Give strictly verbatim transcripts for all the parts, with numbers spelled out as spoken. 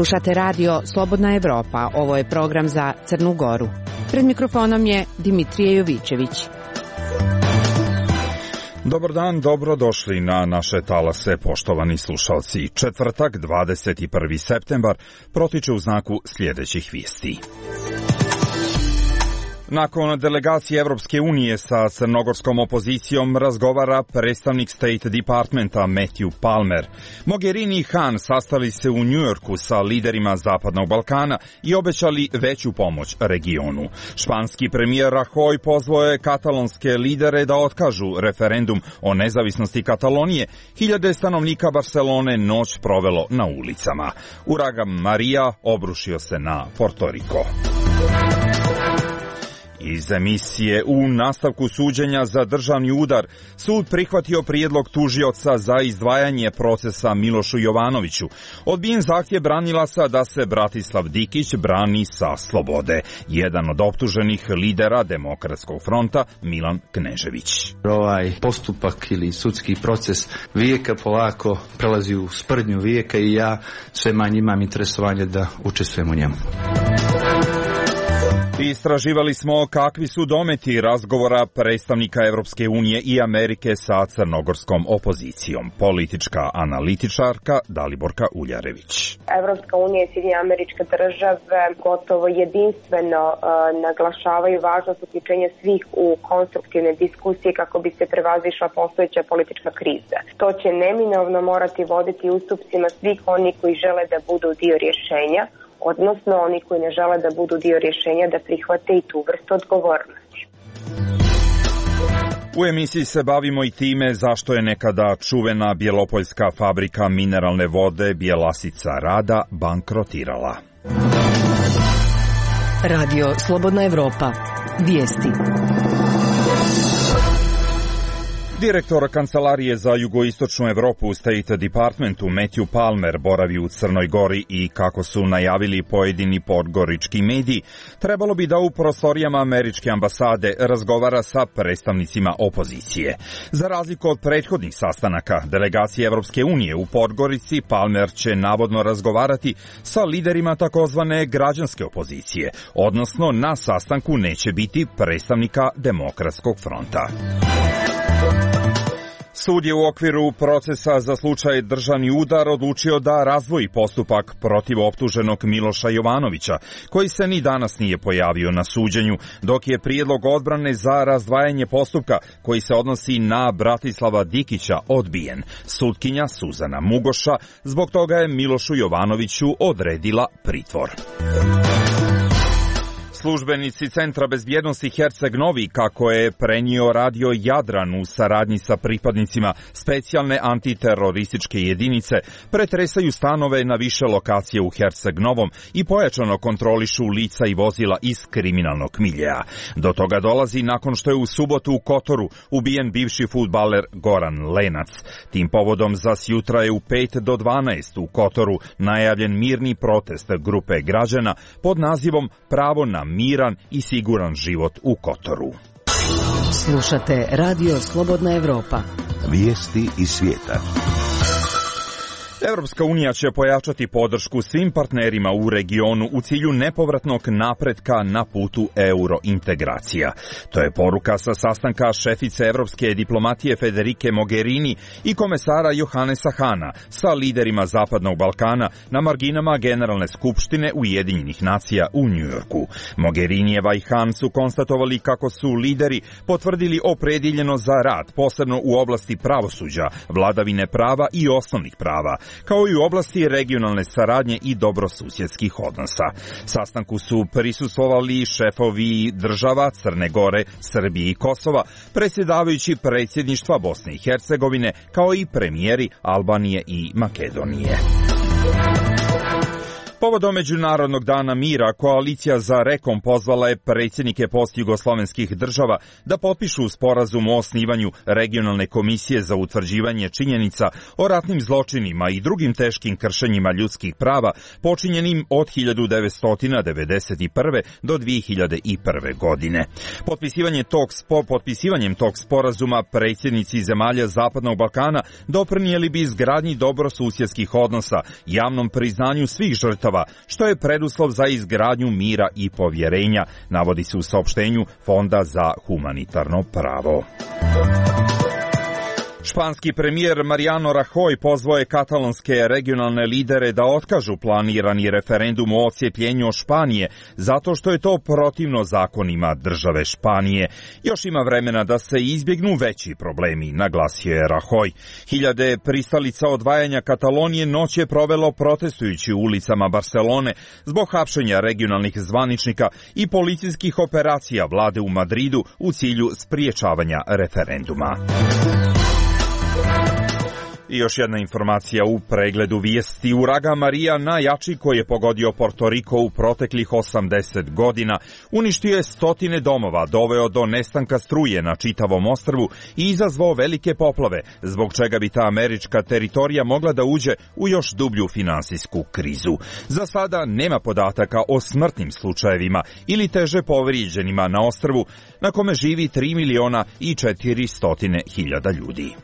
Slušate radio Slobodna Evropa, ovo je program za Crnu Goru. Pred mikrofonom je Dimitrije Jovićević. Dobar dan, dobrodošli na naše talase, poštovani slušalci. Četvrtak, dvadeset prvi septembar, protiče u znaku sljedećih vijesti. Nakon delegacije Evropske unije sa crnogorskom opozicijom razgovara predstavnik State Departmenta Matthew Palmer. Mogherini i Han sastali se u Njujorku sa liderima Zapadnog Balkana i obećali veću pomoć regionu. Španski premijer Rajoy pozvao je katalonske lidere da otkažu referendum o nezavisnosti Katalonije. Hiljade stanovnika Barcelone noć provelo na ulicama. Uragan Maria obrušio se na Porto Riko. Iz emisije u nastavku suđenja za državni udar, sud prihvatio prijedlog tužioca za izdvajanje procesa Milošu Jovanoviću. Odbijen zahtjev branilaca da se Bratislav Dikić brani sa slobode. Jedan od optuženih lidera Demokratskog fronta, Milan Knežević. Ovaj postupak ili sudski proces vijeka polako prelazi u sprdnju vijeka i ja sve manje imam interesovanje da učestvujem u njemu. Istraživali smo kakvi su dometi razgovora predstavnika Evropske unije i Amerike sa crnogorskom opozicijom. Politička analitičarka Daliborka Uljarević. Evropska unija i Sjedinjene Američke Države gotovo jedinstveno uh, naglašavaju važnost uključenja svih u konstruktivne diskusije kako bi se prevazišla postojeća politička kriza. To će neminovno morati voditi ustupcima svih oni koji žele da budu dio rješenja, odnosno oni koji ne žele da budu dio rješenja da prihvate i tu vrstu odgovornosti. U emisiji se bavimo i time zašto je nekada čuvena bjelopoljska fabrika mineralne vode Bjelasica Rada bankrotirala. Radio Slobodna Evropa. Vijesti. Direktor Kancelarije za jugoistočnu Evropu u State Departmentu Matthew Palmer boravi u Crnoj Gori i, kako su najavili pojedini podgorički mediji, trebalo bi da u prostorijama američke ambasade razgovara sa predstavnicima opozicije. Za razliku od prethodnih sastanaka delegacije Evropske unije u Podgorici, Palmer će navodno razgovarati sa liderima takozvane građanske opozicije, odnosno na sastanku neće biti predstavnika Demokratskog fronta. Sud je u okviru procesa za slučaj državni udar odlučio da razdvoji postupak protiv optuženog Miloša Jovanovića, koji se ni danas nije pojavio na suđenju, dok je prijedlog odbrane za razdvajanje postupka koji se odnosi na Bratislava Dikića odbijen. Sutkinja Suzana Mugoša zbog toga je Milošu Jovanoviću odredila pritvor. Službenici Centra bezbjednosti Herceg Novi, kako je prenio radio Jadran u saradnji sa pripadnicima specijalne antiterorističke jedinice, pretresaju stanove na više lokacije u Herceg Novom i pojačano kontrolišu lica i vozila iz kriminalnog miljeja. Do toga dolazi nakon što je u subotu u Kotoru ubijen bivši fudbaler Goran Lenac. Tim povodom za sjutra je u pet do dvanaest u Kotoru najavljen mirni protest grupe građana pod nazivom Pravo na miran i siguran život u Kotoru. Slušate radio Slobodna Evropa. Vijesti iz svijeta. Evropska unija će pojačati podršku svim partnerima u regionu u cilju nepovratnog napretka na putu eurointegracija. To je poruka sa sastanka šefice evropske diplomatije Federike Mogherini i komesara Johannesa Hana sa liderima Zapadnog Balkana na marginama Generalne skupštine Ujedinjenih nacija u Njujorku. Mogherinijeva i Han su konstatovali kako su lideri potvrdili opredjeljenost za rad, posebno u oblasti pravosuđa, vladavine prava i osnovnih prava, kao i u oblasti regionalne saradnje i dobrosusjedskih odnosa. Sastanku su prisustvovali šefovi država Crne Gore, Srbije i Kosova, predsjedavajući predsjedništva Bosne i Hercegovine, kao i premijeri Albanije i Makedonije. Povodom Međunarodnog dana mira, Koalicija za Rekom pozvala je predsjednike postjugoslovenskih država da potpišu sporazum o osnivanju regionalne komisije za utvrđivanje činjenica o ratnim zločinima i drugim teškim kršenjima ljudskih prava počinjenim od hiljadu devetsto devedeset prve do dvije hiljade prve. godine. Potpisivanje tog spo, potpisivanjem tog sporazuma predsjednici zemalja Zapadnog Balkana doprinijeli bi izgradnji dobrosusjedskih odnosa, javnom priznanju svih žrtava država, što je preduslov za izgradnju mira i povjerenja, navodi se u saopštenju Fonda za humanitarno pravo. Španski premijer Mariano Rajoy pozvao je katalonske regionalne lidere da otkažu planirani referendum o odcijepljenju Španije, zato što je to protivno zakonima države Španije. Još ima vremena da se izbjegnu veći problemi, naglasio je Rajoy. Hiljade pristalica odvajanja Katalonije noć je provelo protestujući u ulicama Barcelone zbog hapšenja regionalnih zvaničnika i policijskih operacija vlade u Madridu u cilju spriječavanja referenduma. I još jedna informacija u pregledu vijesti. Uragan Marija, najjači koji je pogodio Porto Riko u proteklih osamdeset godina, uništio je stotine domova, doveo do nestanka struje na čitavom ostrvu i izazvao velike poplave, zbog čega bi ta američka teritorija mogla da uđe u još dublju finansijsku krizu. Za sada nema podataka o smrtnim slučajevima ili teže povrijeđenima na ostrvu, na kome živi tri miliona i četiristo hiljada ljudi.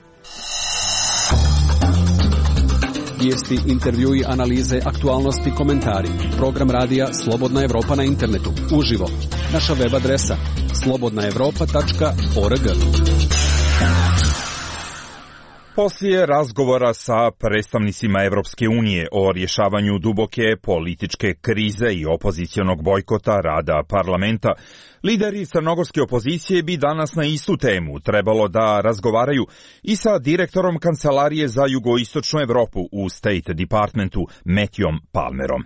Vijesti, intervjui, analize, aktualnosti, komentari. Program radija Slobodna Evropa na internetu. Uživo. Naša web adresa slobodna evropa tačka org. Poslije razgovora sa predstavnicima Evropske unije o rješavanju duboke političke krize i opozicionog bojkota rada parlamenta, lideri crnogorske opozicije bi danas na istu temu trebalo da razgovaraju i sa direktorom Kancelarije za jugoistočnu Evropu u State Departmentu Matthewom Palmerom.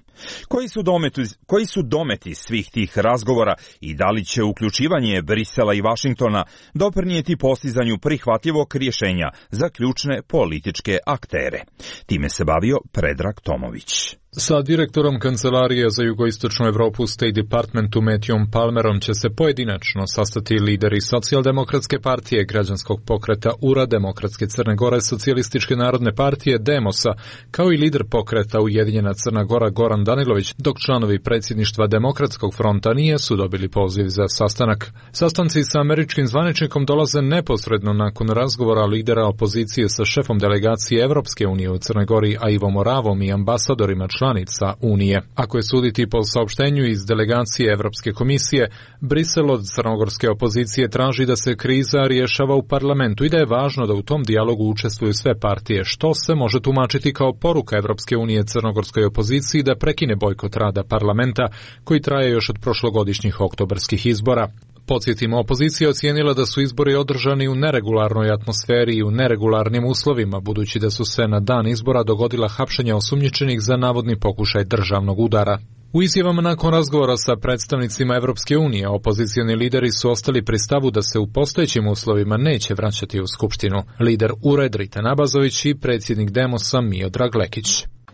Koji su dometi, koji su dometi svih tih razgovora i da li će uključivanje Brisela i Vašingtona doprinijeti postizanju prihvatljivog rješenja za ključne političke aktere? Time se bavio Predrag Tomović. Sa direktorom Kancelarije za jugoistočnu Evropu State Departmentu Matthewom Palmerom će se pojedinačno sastati lideri Socijaldemokratske partije, Građanskog pokreta U R A, Demokratske Crne Gore, Socijalističke narodne partije Demosa, kao i lider pokreta Ujedinjena Crna Gora Goran Danilović, dok članovi predsjedništva Demokratskog fronta nisu dobili poziv za sastanak. Sastanci sa američkim zvaničnikom dolaze neposredno nakon razgovora lidera opozicije sa šefom delegacije Evropske unije u Crnoj Gori, a Ivo Moravom i ambasadorima članica Unije. Ako je suditi po saopštenju iz delegacije Evropske komisije, Brisel od crnogorske opozicije traži da se kriza rješava u parlamentu i da je važno da u tom dijalogu učestvuju sve partije, što se može tumačiti kao poruka Evropske unije crnogorskoj opoziciji da prekine bojkot rada parlamenta koji traje još od prošlogodišnjih oktobarskih izbora. Podsjetimo, opozicija ocijenila da su izbori održani u neregularnoj atmosferi i u neregularnim uslovima, budući da su se na dan izbora dogodila hapšenja osumnjičenih za navodni pokušaj državnog udara. U izjavama nakon razgovora sa predstavnicima Evropske unije, opozicioni lideri su ostali pri stavu da se u postojećim uslovima neće vraćati u Skupštinu. Lider U R A Dritan Abazović i predsjednik Demosa Miodrag Lekić.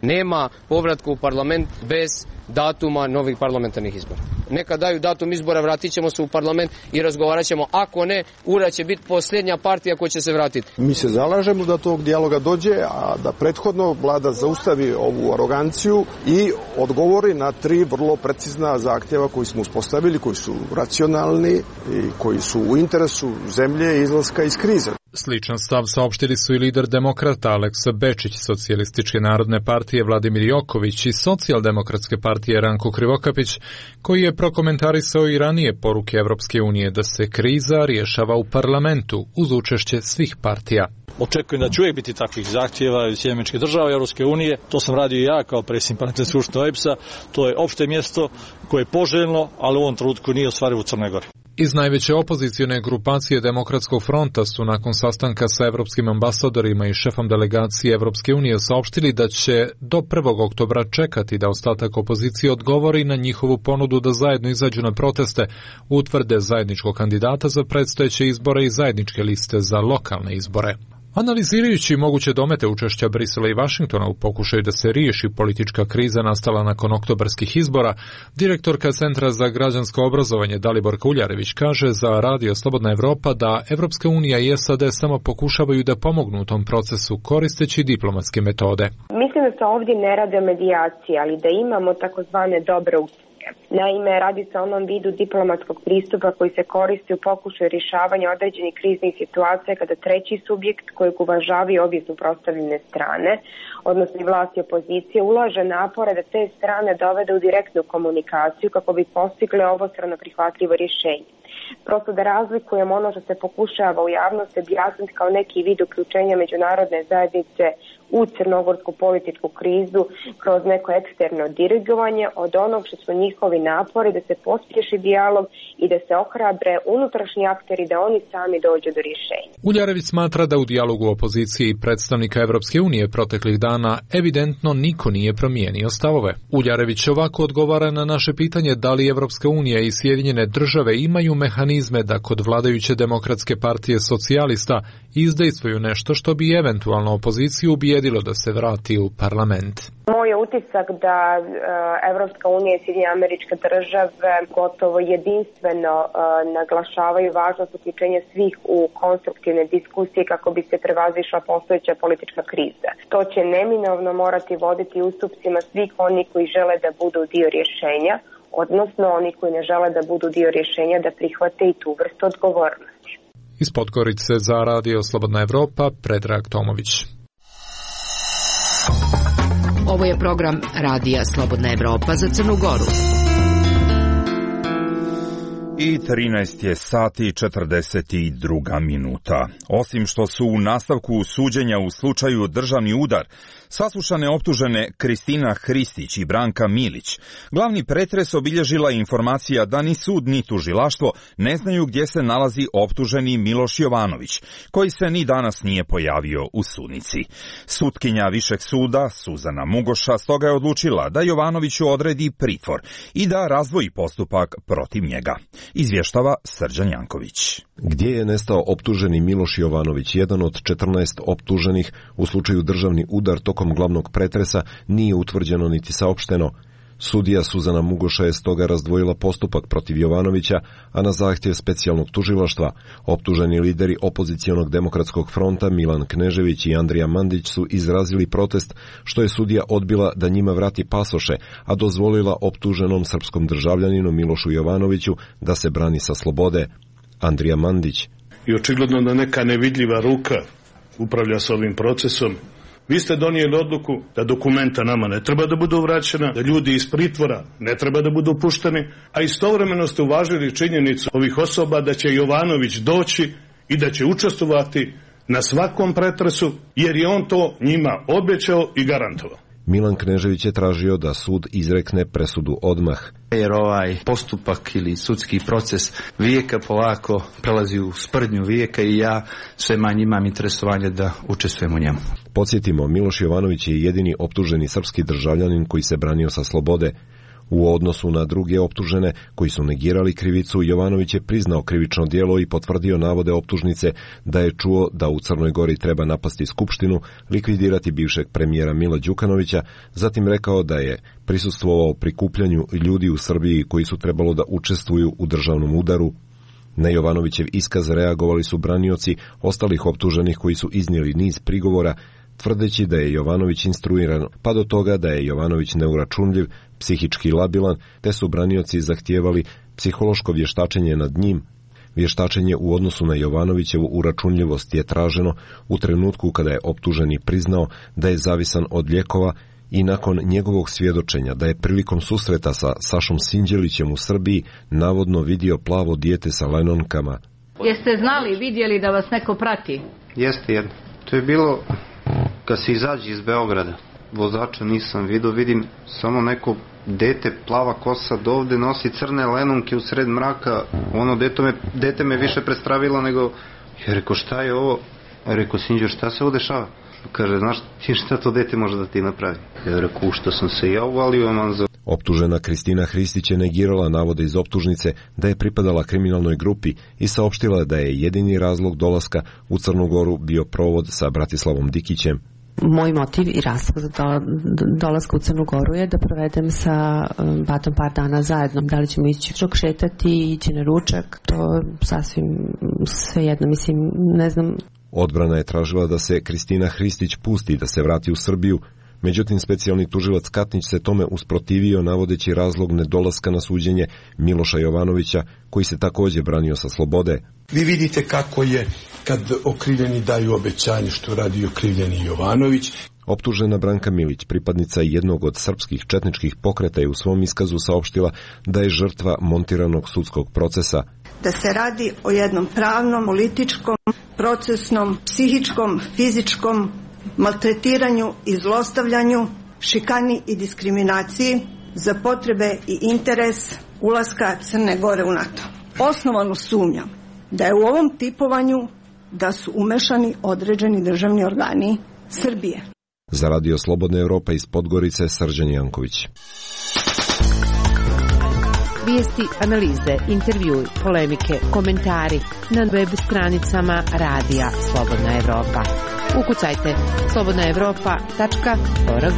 Nema povratka u parlament bez datuma novih parlamentarnih izbora. Neka daju datum izbora, vratit ćemo se u parlament i razgovarat ćemo. Ako ne, U R A će biti posljednja partija koja će se vratiti. Mi se zalažemo da tog dijaloga dođe, a da prethodno vlada zaustavi ovu aroganciju i odgovori na tri vrlo precizna zahtjeva koji smo uspostavili, koji su racionalni i koji su u interesu zemlje i izlaska iz krize. Sličan stav saopštili su i lider demokrata Aleksa Bečić, Socijalističke narodne partije Vladimir Joković i Socijaldemokratske partije Ranko Krivokapić, koji je prokomentarisao i ranije poruke Evropske unije da se kriza rješava u parlamentu uz učešće svih partija. Očekujem da će uvijek biti takvih zahtjeva iz Sjedinjenih Američkih Država i Europske unije. To sam radio i ja kao predsjednik parlamentarne skupštine O E B S-a. To je opšte mjesto koje je poželjno, ali u ovom trenutku nije ostvarivo u Crnoj Gori. Iz najveće opozicione grupacije Demokratskog fronta su nakon sastanka sa evropskim ambasadorima i šefom delegacije Evropske unije saopštili da će do prvog oktobra čekati da ostatak opozicije odgovori na njihovu ponudu da zajedno izađu na proteste, utvrde zajedničkog kandidata za predstojeće izbore i zajedničke liste za lokalne izbore. Analizirajući moguće domete učešća Brisela i Vašingtona u pokušaju da se riješi politička kriza nastala nakon oktobarskih izbora, direktorka Centra za građansko obrazovanje Dalibor Kuljarević kaže za Radio Slobodna Evropa da Evropska unija i S A D samo pokušavaju da pomognu u tom procesu koristeći diplomatske metode. Mislim da se ovdje ne radi o medijaciji, ali da imamo takozvane dobre Naime, radi se o onom vidu diplomatskog pristupa koji se koristi u pokušaju rješavanja određenih kriznih situacija kada treći subjekt kojeg uvažavaju obje suprotstavljene strane, odnosno i vlast i opozicije, ulaže napore da te strane dovede u direktnu komunikaciju kako bi postigle obostrano prihvatljivo rješenje. Prosto da razlikujemo ono što se pokušava u javnosti objasniti kao neki vid uključenja međunarodne zajednice u crnogorsku političku krizu kroz neko eksterno dirigovanje od onog što su njihovi napori da se pospješi dijalog i da se ohrabre unutrašnji akteri da oni sami dođu do rješenja. Uljarević smatra da u dijalogu opozicije i predstavnika Evropske unije proteklih dana evidentno niko nije promijenio stavove. Uljarević ovako odgovara na naše pitanje da li Evropska unija i Sjedinjene države imaju mehanizme da kod vladajuće demokratske partije socijalista izdejstvuju nešto što bi eventualno opoziciju ubijedilo da se vrati u parlament. Moj je utisak da e, Evropska unija i Sjedinjene Američke Države gotovo jedinstveno e, naglašavaju važnost uključenja svih u konstruktivne diskusije kako bi se prevazišla postojeća politička kriza. To će neminovno morati voditi ustupcima svih oni koji žele da budu dio rješenja, odnosno oni koji ne žele da budu dio rješenja da prihvate i tu vrstu odgovornosti. Iz Podgorice za Radio Slobodna Evropa, Predrag Tomović. Ovo je program Radija Slobodna Evropa za Crnu Goru. I trinaest je sati četrdeset dva minuta. Osim što su u nastavku suđenja u slučaju državni udar saslušane optužene Kristina Hristić i Branka Milić, glavni pretres obilježila informacija da ni sud ni tužilaštvo ne znaju gdje se nalazi optuženi Miloš Jovanović, koji se ni danas nije pojavio u sudnici. Sutkinja Višeg suda, Suzana Mugoša, stoga je odlučila da Jovanoviću odredi pritvor i da razdvoji postupak protiv njega. Izvještava Srđan Janković. Gdje je nestao optuženi Miloš Jovanović, jedan od četrnaest optuženih u slučaju državni udar tokom glavnog pretresa, nije utvrđeno niti saopšteno. Sudija Suzana Mugoša je stoga razdvojila postupak protiv Jovanovića, a na zahtjev specijalnog tužilaštva optuženi lideri opozicionog demokratskog fronta Milan Knežević i Andrija Mandić su izrazili protest što je sudija odbila da njima vrati pasoše, a dozvolila optuženom srpskom državljaninu Milošu Jovanoviću da se brani sa slobode. Andrija Mandić. I očigledno da neka nevidljiva ruka upravlja s ovim procesom. Vi ste donijeli odluku da dokumenta nama ne treba da budu vraćena, da ljudi iz pritvora ne treba da budu pušteni, a istovremeno ste uvažili činjenicu ovih osoba da će Jovanović doći i da će učestvovati na svakom pretresu, jer je on to njima obećao i garantovao. Milan Knežević je tražio da sud izrekne presudu odmah. Jer ovaj postupak ili sudski proces vijeka polako prelazi u sprdnju vijeka i ja sve manje imam interesovanje da učestvujem u njemu. Podsjetimo, Miloš Jovanović je jedini optuženi srpski državljanin koji se branio sa slobode. U odnosu na druge optužene koji su negirali krivicu, Jovanović je priznao krivično djelo i potvrdio navode optužnice da je čuo da u Crnoj Gori treba napasti skupštinu, likvidirati bivšeg premijera Mila Đukanovića, zatim rekao da je prisustvovao prikupljanju ljudi u Srbiji koji su trebalo da učestvuju u državnom udaru. Na Jovanovićev iskaz reagovali su branioci ostalih optuženih koji su iznijeli niz prigovora, tvrdeći da je Jovanović instruiran, pa do toga da je Jovanović neuračunljiv, psihički labilan, te su branioci zahtijevali psihološko vještačenje nad njim. Vještačenje u odnosu na Jovanovićevu uračunljivost je traženo u trenutku kada je optuženi priznao da je zavisan od lijekova i nakon njegovog svjedočenja da je prilikom susreta sa Sašom Sinđelićem u Srbiji navodno vidio plavo dijete sa lajnonkama. Jeste znali, vidjeli da vas neko prati? Jeste jedno. To je bilo kad se izađe iz Beograda. Vozača nisam vidio, vidim samo neko dete, plava kosa, dovde nosi crne lenonke u sred mraka. Ono dete me, dete me više prestravilo nego... Ja rekao, šta je ovo? Ja rekao, Sinđer, šta se ovo dešava? Kaže, znaš ti šta to dete može da ti napravi? Ja rekao, što sam se ja uvalio, man za... Optužena Kristina Hristić je negirala navode iz optužnice da je pripadala kriminalnoj grupi i saopštila da je jedini razlog dolaska u Crnu Goru bio provod sa Bratislavom Dikićem. Moj motiv i razlog za do, dolaska u Crnu Goru je da provedem sa um, Batom par dana zajedno. Da li ćemo ići čok šetati, ići na ručak, to sasvim svejedno, mislim, ne znam. Odbrana je tražila da se Kristina Hristić pusti da se vrati u Srbiju, Međutim, specijalni tužilac Katnić se tome usprotivio navodeći razlog nedolaska na suđenje Miloša Jovanovića, koji se također branio sa slobode. Vi vidite kako je kad okrivljeni daju obećanje što radi okrivljeni Jovanović. Optužena Branka Milić, pripadnica jednog od srpskih četničkih pokreta, je u svom iskazu saopštila da je žrtva montiranog sudskog procesa. Da se radi o jednom pravnom, političkom, procesnom, psihičkom, fizičkom maltretiranju i zlostavljanju, šikani i diskriminaciji za potrebe i interes ulaska Crne Gore u NATO. Osnovano sumnjam da je u ovom tipovanju da su umešani određeni državni organi Srbije. Za Radio Slobodna Evropa iz Podgorice, Srđan Janković. Vijesti, analize, intervjui, polemike, komentari na web stranicama Radija Slobodna Evropa. Ukucajte slobodna evropa tačka org.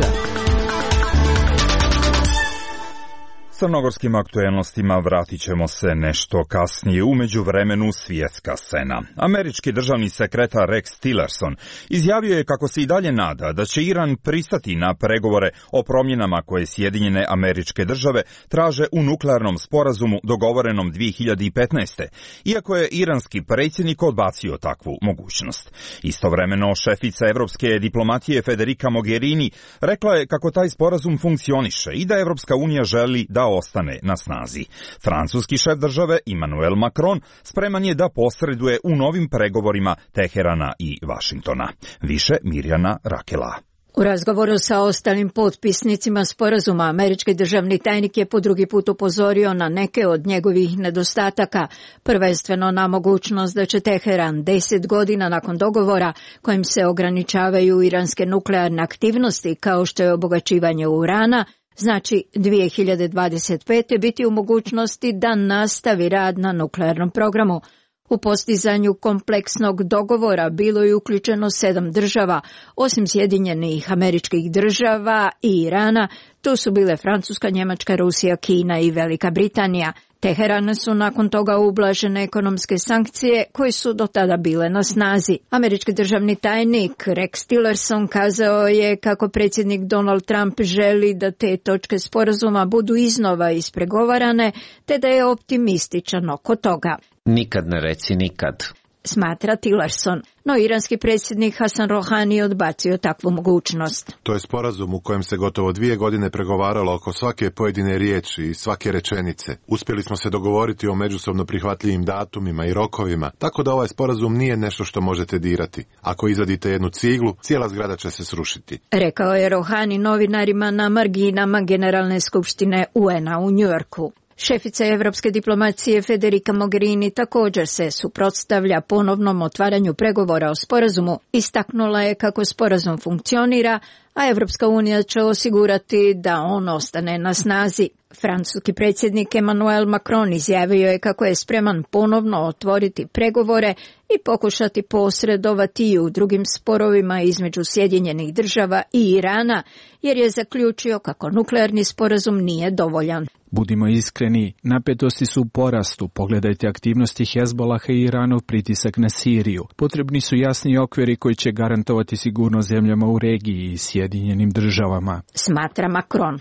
Crnogorskim aktuelnostima vratit ćemo se nešto kasnije. U međuvremenu svjetska scena. Američki državni sekretar Rex Tillerson izjavio je kako se i dalje nada da će Iran pristati na pregovore o promjenama koje Sjedinjene Američke Države traže u nuklearnom sporazumu dogovorenom dvije hiljade petnaeste. Iako je iranski predsjednik odbacio takvu mogućnost. Istovremeno šefica evropske diplomatije Federica Mogherini rekla je kako taj sporazum funkcioniše i da Evropska unija želi da ostane na snazi. Francuski šef države Emmanuel Macron spreman je da posreduje u novim pregovorima Teherana i Vašingtona. Više Mirjana Rakela. U razgovoru sa ostalim potpisnicima sporazuma, američki državni tajnik je po drugi put upozorio na neke od njegovih nedostataka, prvenstveno na mogućnost da će Teheran deset godina nakon dogovora kojim se ograničavaju iranske nuklearne aktivnosti kao što je obogaćivanje urana, znači dvije hiljade dvadeset pete biti u mogućnosti da nastavi rad na nuklearnom programu. U postizanju kompleksnog dogovora bilo je uključeno sedam država, osim Sjedinjenih Američkih Država i Irana, tu su bile Francuska, Njemačka, Rusija, Kina i Velika Britanija. Teheranu su nakon toga ublažene ekonomske sankcije koje su do tada bile na snazi. Američki državni tajnik Rex Tillerson kazao je kako predsjednik Donald Trump želi da te točke sporazuma budu iznova ispregovarane, te da je optimističan oko toga. Nikad ne reci nikad, smatra Tillerson, no iranski predsjednik Hasan Rohani odbacio takvu mogućnost. To je sporazum u kojem se gotovo dvije godine pregovaralo oko svake pojedine riječi i svake rečenice. Uspjeli smo se dogovoriti o međusobno prihvatljivim datumima i rokovima, tako da ovaj sporazum nije nešto što možete dirati. Ako izvadite jednu ciglu, cijela zgrada će se srušiti. Rekao je Rohani novinarima na marginama Generalne skupštine U N-a u Njujorku. Šefica evropske diplomacije Federica Mogherini također se suprotstavlja ponovnom otvaranju pregovora o sporazumu. Istaknula je kako sporazum funkcionira, a Evropska unija će osigurati da on ostane na snazi. Francuski predsjednik Emmanuel Macron izjavio je kako je spreman ponovno otvoriti pregovore i pokušati posredovati i u drugim sporovima između Sjedinjenih Država i Irana, jer je zaključio kako nuklearni sporazum nije dovoljan. Budimo iskreni, napetosti su u porastu. Pogledajte aktivnosti Hezbolaha i Iranov pritisak na Siriju. Potrebni su jasni okviri koji će garantovati sigurnost zemljama u regiji i Sjedinjenim Državama, smatra Macron.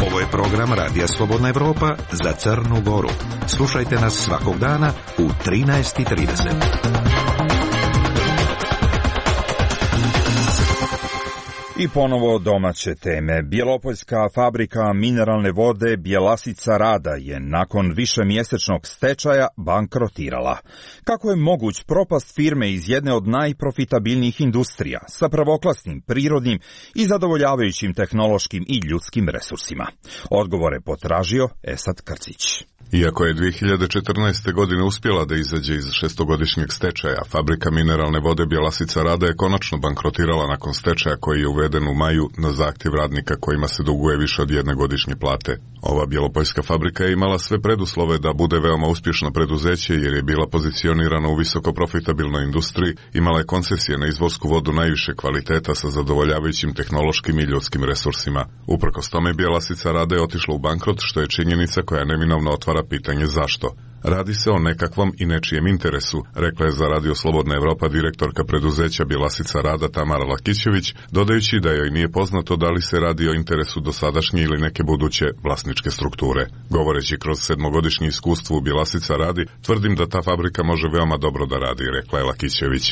Ovo je program Radija Slobodna Evropa za Crnu Goru. Slušajte nas svakog dana u trinaest i trideset. I ponovo domaće teme. Bjelopoljska fabrika mineralne vode Bjelasica Rada je nakon višemjesečnog stečaja bankrotirala. Kako je moguć propast firme iz jedne od najprofitabilnijih industrija sa prvoklasnim prirodnim i zadovoljavajućim tehnološkim i ljudskim resursima? Odgovore potražio Esad Krcić. Iako je dvije hiljade četrnaeste. godine uspjela da izađe iz šestogodišnjeg stečaja, fabrika mineralne vode Bjelasica Rada je konačno bankrotirala nakon stečaja koji je uveden u maju na zahtjev radnika kojima se duguje više od jedne godišnje plate. Ova bjelopoljska fabrika je imala sve preduslove da bude veoma uspješno preduzeće jer je bila pozicionirana u visoko profitabilnoj industriji, imala je koncesije na izvorsku vodu najviše kvaliteta sa zadovoljavajućim tehnološkim i ljudskim resursima. Uprkos tome Bjelasica Rada je otišla u bankrot, što je činjenica koja neminovno otvara pitanje zašto. Radi se o nekakvom i nečijem interesu, rekla je za Radio Slobodna Evropa direktorka preduzeća Bjelasica rada Tamara Lakićević, dodajući da joj nije poznato da li se radi o interesu dosadašnje ili neke buduće vlasničke strukture. Govoreći kroz sedmogodišnje iskustvo u Bjelasica radi, tvrdim da ta fabrika može veoma dobro da radi, rekla je Lakićević.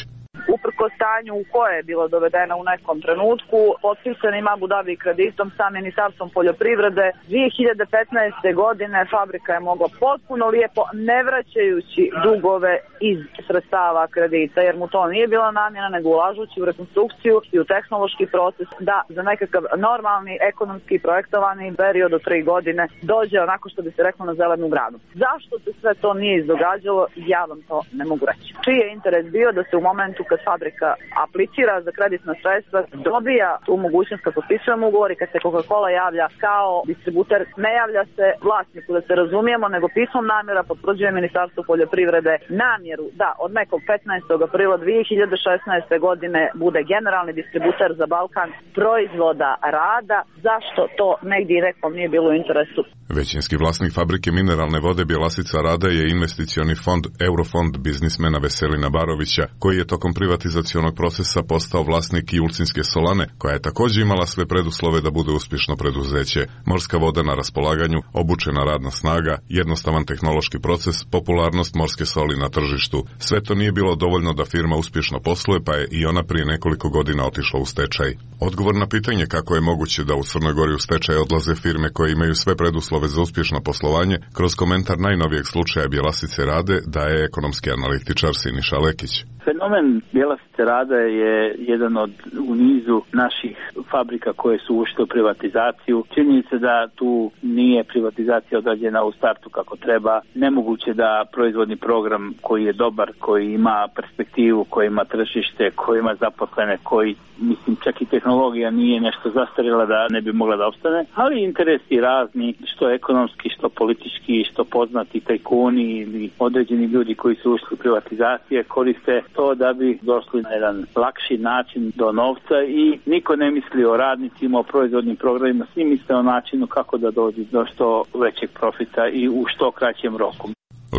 Uprko stanju u koje je bilo dovedeno u nekom trenutku, potpisanim Abu Dhabi kreditom sa Ministarstvom poljoprivrede, dvije hiljade petnaeste. godine fabrika je mogla potpuno lijepo, ne vraćajući dugove iz sredstava kredita, jer mu to nije bila namjena, nego ulažući u rekonstrukciju i u tehnološki proces, da za nekakav normalni, ekonomski projektovani period od tri godine dođe onako što bi se reklo na zelenu granu. Zašto se sve to nije izdogađalo, ja vam to ne mogu reći. Čiji je interes bio da se u momentu kad fabrika aplicira za kreditna sredstva, dobija tu mogućnost kad potpisujemo ugovor i kad se Coca-Cola javlja kao distributer, ne javlja se vlasniku, da se razumijemo, nego pismom namjera potvrđuje Ministarstvo poljoprivrede namjeru da od nekog petnaestog aprila dvije hiljade šesnaeste. godine bude generalni distributer za Balkan proizvoda rada. Zašto to negdje i nekom nije bilo u interesu? Većinski vlasnik fabrike mineralne vode Bjelasica rada je investicioni fond Eurofond biznismena Veselina Barovića, koji je tokom privatizacionog procesa postao vlasnik i Ulcinske solane, koja je također imala sve preduslove da bude uspješno preduzeće. Morska voda na raspolaganju, obučena radna snaga, jednostavan tehnološki proces, popularnost morske soli na tržištu. Sve to nije bilo dovoljno da firma uspješno posluje, pa je i ona prije nekoliko godina otišla u stečaj. Odgovor na pitanje kako je moguće da u Crnoj Gori u stečaj odlaze firme koje imaju sve preduslove za uspješno poslovanje, kroz komentar najnovijeg slučaja Bjelasice rade daje ekonomski analitičar Siniša Lekić. Fenomen Bjelasice rada je jedan od u nizu naših fabrika koje su ušle u privatizaciju. Čini se da tu nije privatizacija odrađena u startu kako treba. Nemoguće da proizvodni program koji je dobar, koji ima perspektivu, koji ima tržište, koji ima zaposlene, koji, mislim, čak i tehnologija nije nešto zastarjela da ne bi mogla da opstane, ali interesi razni, što ekonomski, što politički, što poznati tajkuni ili određeni ljudi koji su ušli u privatizacije koriste to da bi došli na jedan lakši način do novca i niko ne misli o radnicima, o proizvodnim programima, svi misle o načinu kako da dođe do što većeg profita i u što kraćem roku.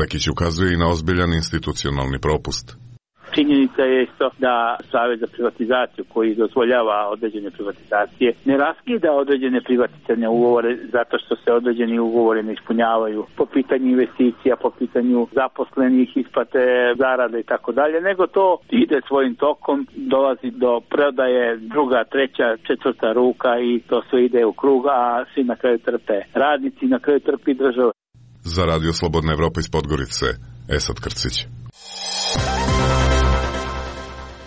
Lekić ukazuje i na ozbiljan institucionalni propust. Činjenica je isto da Savez za privatizaciju koji dozvoljava određene privatizacije ne raskida određene privatizacione ugovore zato što se određeni ugovori ne ispunjavaju po pitanju investicija, po pitanju zaposlenih, isplate, zarade i tako dalje, nego to ide svojim tokom, dolazi do prodaje druga, treća, četvrta ruka i to sve ide u krug, a svi na kraju trpe radnici, na kraju trpi država. Za Radio Slobodna Evropa iz Podgorice, Esad Krcić.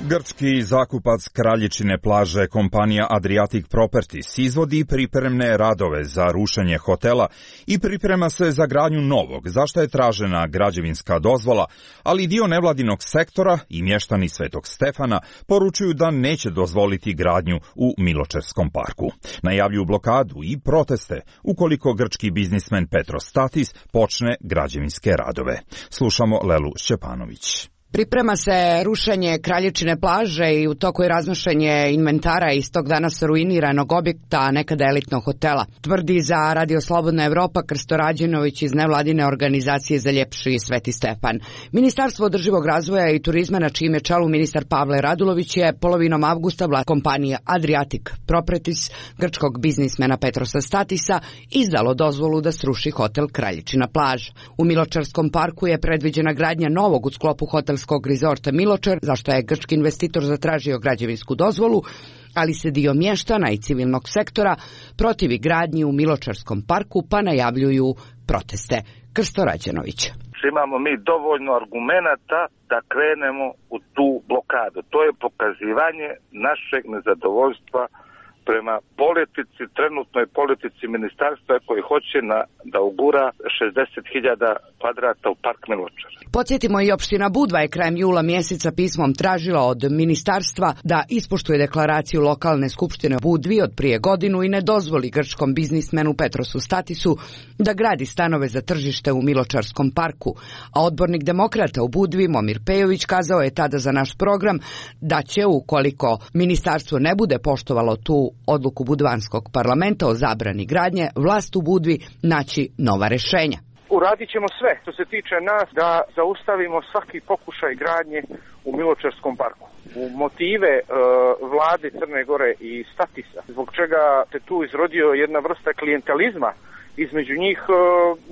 Grčki zakupac Kraljičine plaže kompanija Adriatic Properties izvodi pripremne radove za rušenje hotela i priprema se za gradnju novog, za što je tražena građevinska dozvola, ali dio nevladinog sektora i mještani Svetog Stefana poručuju da neće dozvoliti gradnju u Miločerskom parku. Najavljuju blokadu i proteste ukoliko grčki biznismen Petros Statis počne građevinske radove. Slušamo Lelu Šćepanović. Priprema se rušenje Kraljičine plaže i u toku je raznošenje inventara iz tog danas ruiniranog objekta, nekada elitnog hotela. Tvrdi za Radio Slobodna Evropa Krsto Rađenović iz nevladine organizacije za ljepši Sveti Stefan. Ministarstvo održivog razvoja i turizma, na čijem je čelu ministar Pavle Radulović, je polovinom avgusta vlasnik kompanije Adriatic Properties grčkog biznismena Petrosa Statisa izdalo dozvolu da sruši hotel Kraljičina plaža. U Miločarskom parku je predviđena gradnja novog u sklopu hotelskog rezorta Miločar, zašto je grčki investitor zatražio građevinsku dozvolu, ali se dio mještana i civilnog sektora protivi gradnji u Miločarskom parku, pa najavljuju proteste. Krsto Rađenović. Imamo mi dovoljno argumenata da krenemo u tu blokadu. To je pokazivanje našeg nezadovoljstva prema politici, trenutnoj politici ministarstva koji hoće na, da ugura šezdeset hiljada kvadrata u park Miločar. Podsjetimo, i opština Budva je krajem jula mjeseca pismom tražila od ministarstva da ispoštuje deklaraciju lokalne skupštine Budvi od prije godinu i ne dozvoli grčkom biznismenu Petrosu Statisu da gradi stanove za tržište u Miločarskom parku. A odbornik demokrata u Budvi Momir Pejović kazao je tada za naš program da će, ukoliko ministarstvo ne bude poštovalo tu odluku budvanskog parlamenta o zabrani gradnje, vlast u Budvi naći nova rješenja. uradit ćemo sve što se tiče nas da zaustavimo svaki pokušaj gradnje u Miločarskom parku. U motive e, vlade Crne Gore i Statisa, zbog čega se tu izrodio jedna vrsta klijentelizma između njih, e,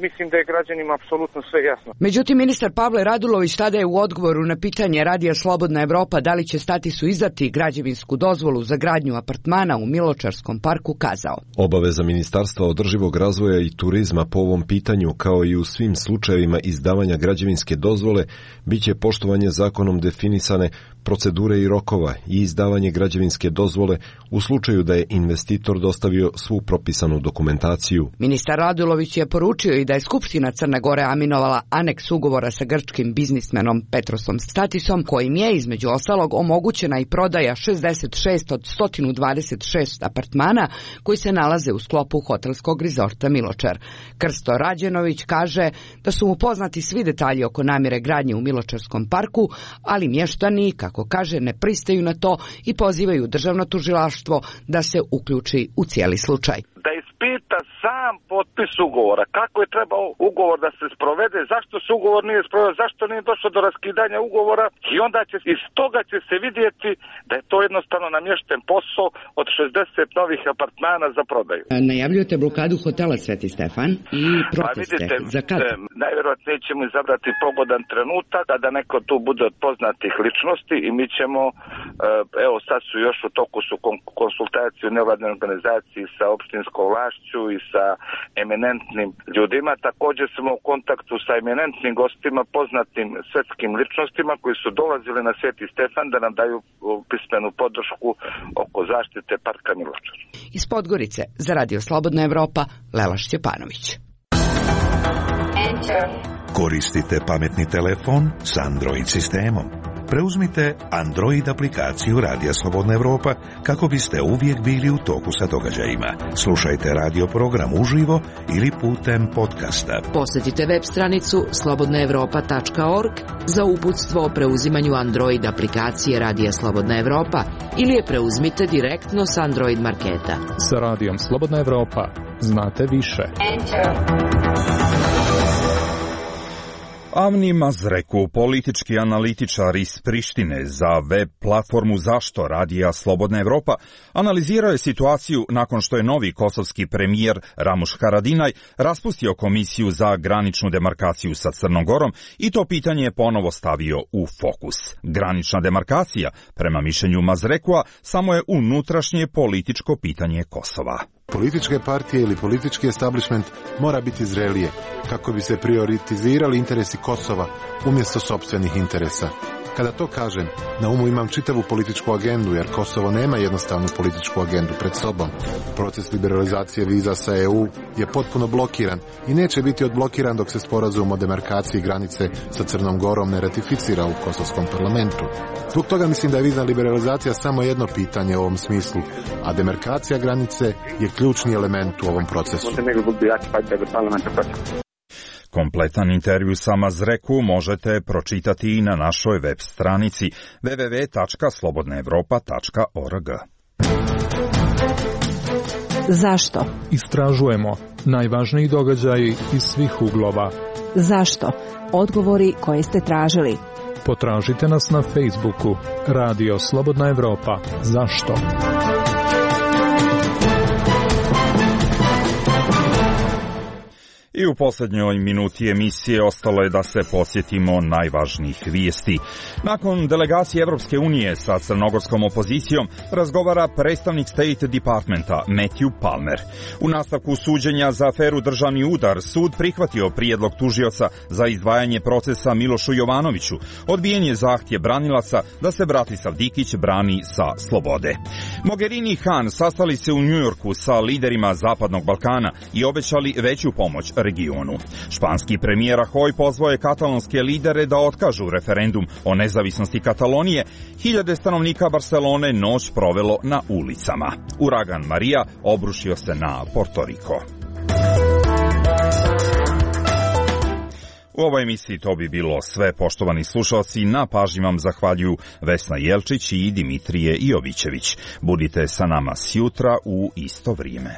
mislim da je građanima apsolutno sve jasno. Međutim, ministar Pavle Radulović tada je u odgovoru na pitanje Radija Slobodna Evropa da li će Statisu izdati građevinsku dozvolu za gradnju apartmana u Miločarskom parku kazao: Obaveza Ministarstva održivog razvoja i turizma po ovom pitanju, kao i u svim slučajevima izdavanja građevinske dozvole, biće poštovanje zakonom definisane procedure i rokova i izdavanje građevinske dozvole u slučaju da je investitor dostavio svu propisanu dokumentaciju. Ministar Radulović je poručio i da je Skupština Crne Gore aminovala aneks ugovora sa grčkim biznismenom Petrosom Statisom, kojim je između ostalog omogućena i prodaja šezdeset šest od sto dvadeset šest apartmana koji se nalaze u sklopu hotelskog rezorta Miločar. Krsto Rađenović kaže da su mu poznati svi detalji oko namjere gradnje u Miločarskom parku, ali mještani, kako kaže, ne pristaju na to i pozivaju državno tužilaštvo da se uključi u cijeli slučaj. Da ispita sam potpis ugovora, kako je trebao ugovor da se sprovede, zašto se ugovor nije sproveo, zašto nije došlo do raskidanja ugovora, i onda će iz toga će se vidjeti da je to jednostavno namješten posao od šezdeset novih apartmana za prodaju. Najavljujete blokadu hotela Sveti Stefan i proteste. Pa vidite, za kad? Najvjerojatnije ćemo izabrati pogodan trenutak kada neko tu bude od poznatih ličnosti i mi ćemo, evo sad su još u toku su konsultacije u nevladnoj organizaciji sa opštinskom vlašću i sa eminentnim ljudima. Također smo u kontaktu sa eminentnim gostima, poznatim svetskim ličnostima koji su dolazili na Sveti Stefan da nam daju pismenu podršku oko zaštite parka Miločar. Iz Podgorice za Radio Slobodna Evropa, Lela Šćepanović. Koristite pametni telefon s Android sistemom. Preuzmite Android aplikaciju Radija Slobodna Evropa kako biste uvijek bili u toku sa događajima. Slušajte radio program uživo ili putem podcasta. Posjetite web stranicu slobodna evropa tačka org za uputstvo o preuzimanju Android aplikacije Radija Slobodna Evropa ili je preuzmite direktno s Android marketa. Sa Radijom Slobodna Evropa znate više. Enter. Avni Mazreku, politički analitičar iz Prištine za web platformu Zašto Radija Slobodna Evropa, analizirao je situaciju nakon što je novi kosovski premijer Ramuš Haradinaj raspustio komisiju za graničnu demarkaciju sa Crnom Gorom i to pitanje je ponovo stavio u fokus. Granična demarkacija, prema mišljenju Mazrekua, samo je unutrašnje političko pitanje Kosova. Političke partije ili politički establishment mora biti zrelije kako bi se prioritizirali interesi Kosova umjesto sopstvenih interesa. Kada to kažem, na umu imam čitavu političku agendu, jer Kosovo nema jednostavnu političku agendu pred sobom. Proces liberalizacije viza sa E U je potpuno blokiran i neće biti odblokiran dok se sporazum o demarkaciji granice sa Crnom Gorom ne ratificira u kosovskom parlamentu. Zbog toga mislim da je vizna liberalizacija samo jedno pitanje u ovom smislu, a demarkacija granice je ključni element u ovom procesu. Kompletan intervju sa Mazreku možete pročitati i na našoj web stranici w w w tačka slobodna evropa tačka org. Zašto? Istražujemo najvažniji događaji iz svih uglova. Zašto? Odgovori koje ste tražili. Potražite nas na Facebooku Radio Slobodna Evropa. Zašto? I u posljednjoj minuti emisije ostalo je da se podsjetimo najvažnijih vijesti. Nakon delegacije Evropske unije sa crnogorskom opozicijom razgovara predstavnik State Departmenta Matthew Palmer. U nastavku suđenja za aferu Državni udar sud prihvatio prijedlog tužioca za izdvajanje procesa Milošu Jovanoviću. Odbijen je zahtjev branilaca da se Bratislav Dikić brani sa slobode. Mogherini i Han sastali se u Njujorku sa liderima Zapadnog Balkana i obećali veću pomoć regionu. Španski premijer Rajoy pozvao je katalonske lidere da otkažu referendum o nezavisnosti Katalonije. Hiljade stanovnika Barcelone noć provelo na ulicama. Uragan Marija obrušio se na Porto Riko. U ovoj emisiji to bi bilo sve, poštovani slušalci. Na pažnji vam zahvaljuju Vesna Jelčić i Dimitrije Jovićević. Budite sa nama sjutra u isto vrijeme.